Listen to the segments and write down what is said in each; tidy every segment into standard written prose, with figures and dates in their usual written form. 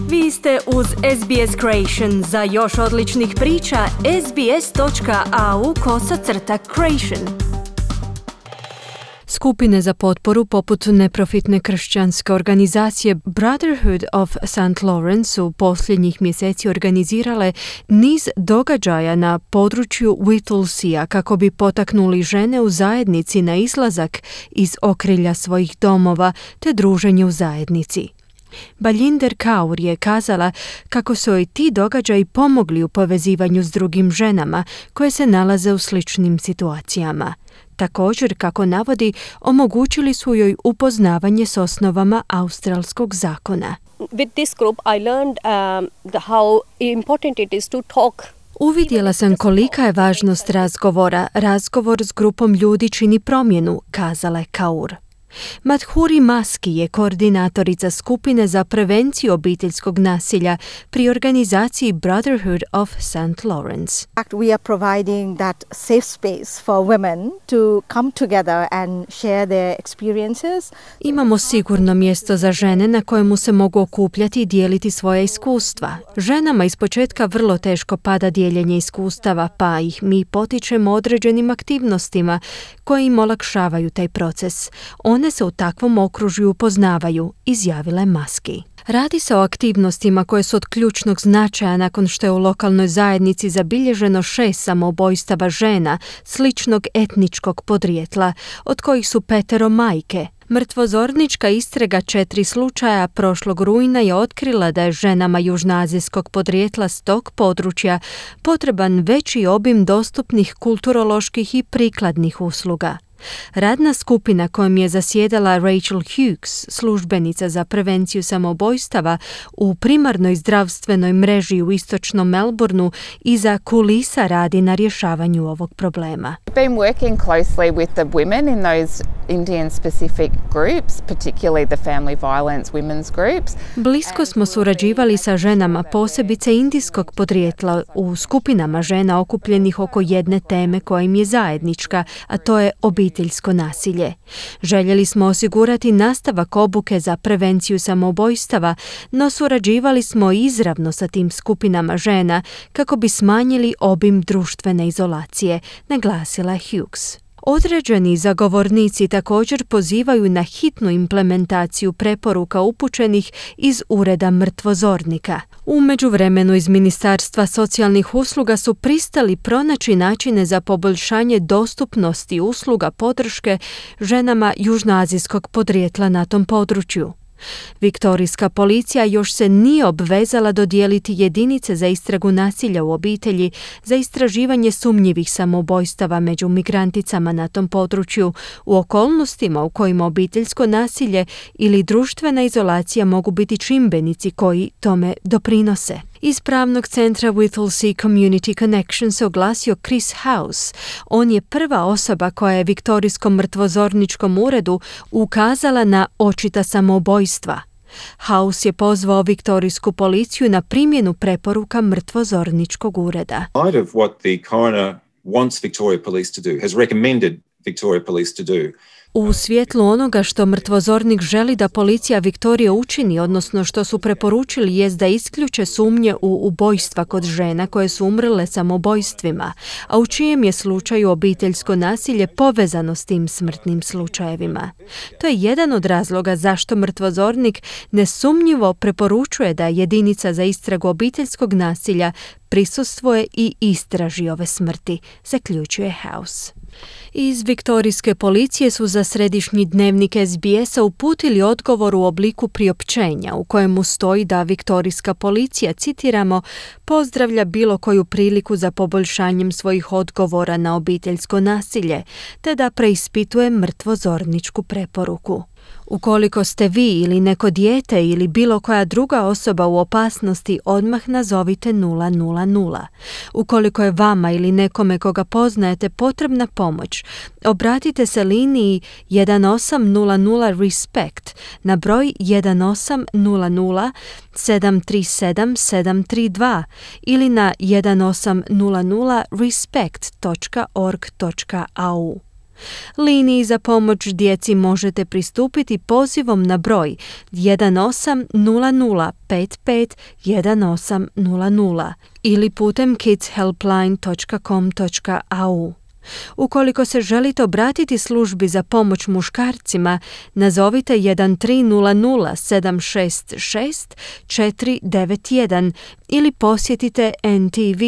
Vi ste uz SBS Creation. Za još odličnih priča, sbs.au/creation. Skupine za potporu poput neprofitne kršćanske organizacije Brotherhood of St. Lawrence su posljednjih mjeseci organizirale niz događaja na području Whittlesea kako bi potaknuli žene u zajednici na izlazak iz okrilja svojih domova te druženje u zajednici. Baljinder Kaur je kazala kako su joj ti događaji pomogli u povezivanju s drugim ženama koje se nalaze u sličnim situacijama. Također, kako navodi, omogućili su joj upoznavanje s osnovama australskog zakona. With this group I learned how important it is to talk. Uvidjela sam kolika je važnost razgovora. Razgovor s grupom ljudi čini promjenu, kazala je Kaur. Madhuri Maski je koordinatorica skupine za prevenciju obiteljskog nasilja pri organizaciji Brotherhood of St. Lawrence. We are providing that safe space for women to come together and share their experiences. Imamo sigurno mjesto za žene na kojemu se mogu okupljati i dijeliti svoja iskustva. Ženama ispočetka vrlo teško pada dijeljenje iskustava, pa ih mi potičemo određenim aktivnostima koje im olakšavaju taj proces. One se u takvom okružju upoznavaju, izjavila je Maski. Radi se o aktivnostima koje su od ključnog značaja nakon što je u lokalnoj zajednici zabilježeno 6 samoubojstava žena sličnog etničkog podrijetla, od kojih su 5 majke. Mrtvozornička istraga 4 slučaja prošlog rujna je otkrila da je ženama južnoazijskog podrijetla s tog područja potreban veći obim dostupnih kulturoloških i prikladnih usluga. Radna skupina kojom je zasjedala Rachel Hughes, službenica za prevenciju samoubojstava u primarnoj zdravstvenoj mreži u istočnom Melbourneu, iza kulisa radi na rješavanju ovog problema. We've been working closely with the women in those Indian specific groups, particularly the family violence women's groups. Blisko smo surađivali sa ženama, posebice indijskog podrijetla, u skupinama žena okupljenih oko jedne teme koja im je zajednička, a to je obiteljsko nasilje. Željeli smo osigurati nastavak obuke za prevenciju samoubojstava, no surađivali smo izravno sa tim skupinama žena kako bi smanjili obim društvene izolacije, naglasila je Hughes. Određeni zagovornici također pozivaju na hitnu implementaciju preporuka upućenih iz ureda mrtvozornika. U međuvremenu iz Ministarstva socijalnih usluga su pristali pronaći načine za poboljšanje dostupnosti usluga podrške ženama južnoazijskog podrijetla na tom području. Viktorijska policija još se nije obvezala dodijeliti jedinice za istragu nasilja u obitelji za istraživanje sumnjivih samoubojstava među migranticama na tom području u okolnostima u kojima obiteljsko nasilje ili društvena izolacija mogu biti čimbenici koji tome doprinose. Iz pravnog centra Whittlesea Community Connection se oglasio Chris House. On je prva osoba koja je Viktorijskom mrtvozorničkom uredu ukazala na očita samoubojstva. House je pozvao Viktorijsku policiju na primjenu preporuka mrtvozorničkog ureda. Part of what the coroner wants Victoria Police to do, has recommended Victoria Police to do. U svjetlu onoga što mrtvozornik želi da policija Viktorije učini, odnosno što su preporučili, jest da isključe sumnje u ubojstva kod žena koje su umrle samoubojstvima, a u čijem je slučaju obiteljsko nasilje povezano s tim smrtnim slučajevima. To je jedan od razloga zašto mrtvozornik nesumnjivo preporučuje da jedinica za istragu obiteljskog nasilja prisustvuje i istraži ove smrti, zaključuje House. Iz viktorijske policije su za središnji dnevnik SBS-a uputili odgovor u obliku priopćenja u kojemu stoji da viktorijska policija, citiramo, pozdravlja bilo koju priliku za poboljšanjem svojih odgovora na obiteljsko nasilje, te da preispituje mrtvozorničku preporuku. Ukoliko ste vi ili neko dijete ili bilo koja druga osoba u opasnosti, odmah nazovite 000. Ukoliko je vama ili nekome koga poznajete potrebna pomoć, obratite se liniji 1800 RESPECT na broj 1800 737 732 ili na 1800respect.org.au. Liniji za pomoć djeci možete pristupiti pozivom na broj 180055 1800 ili putem kidshelpline.com.au. Ukoliko se želite obratiti službi za pomoć muškarcima, nazovite 1300 766 491 ili posjetite ntv.org.au.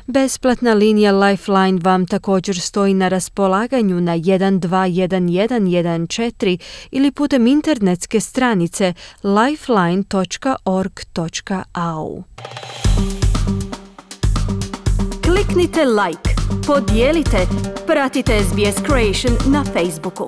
Besplatna linija Lifeline vam također stoji na raspolaganju na 121114 ili putem internetske stranice lifeline.org.au. Kliknite like, podijelite, pratite SBS Creation na Facebooku.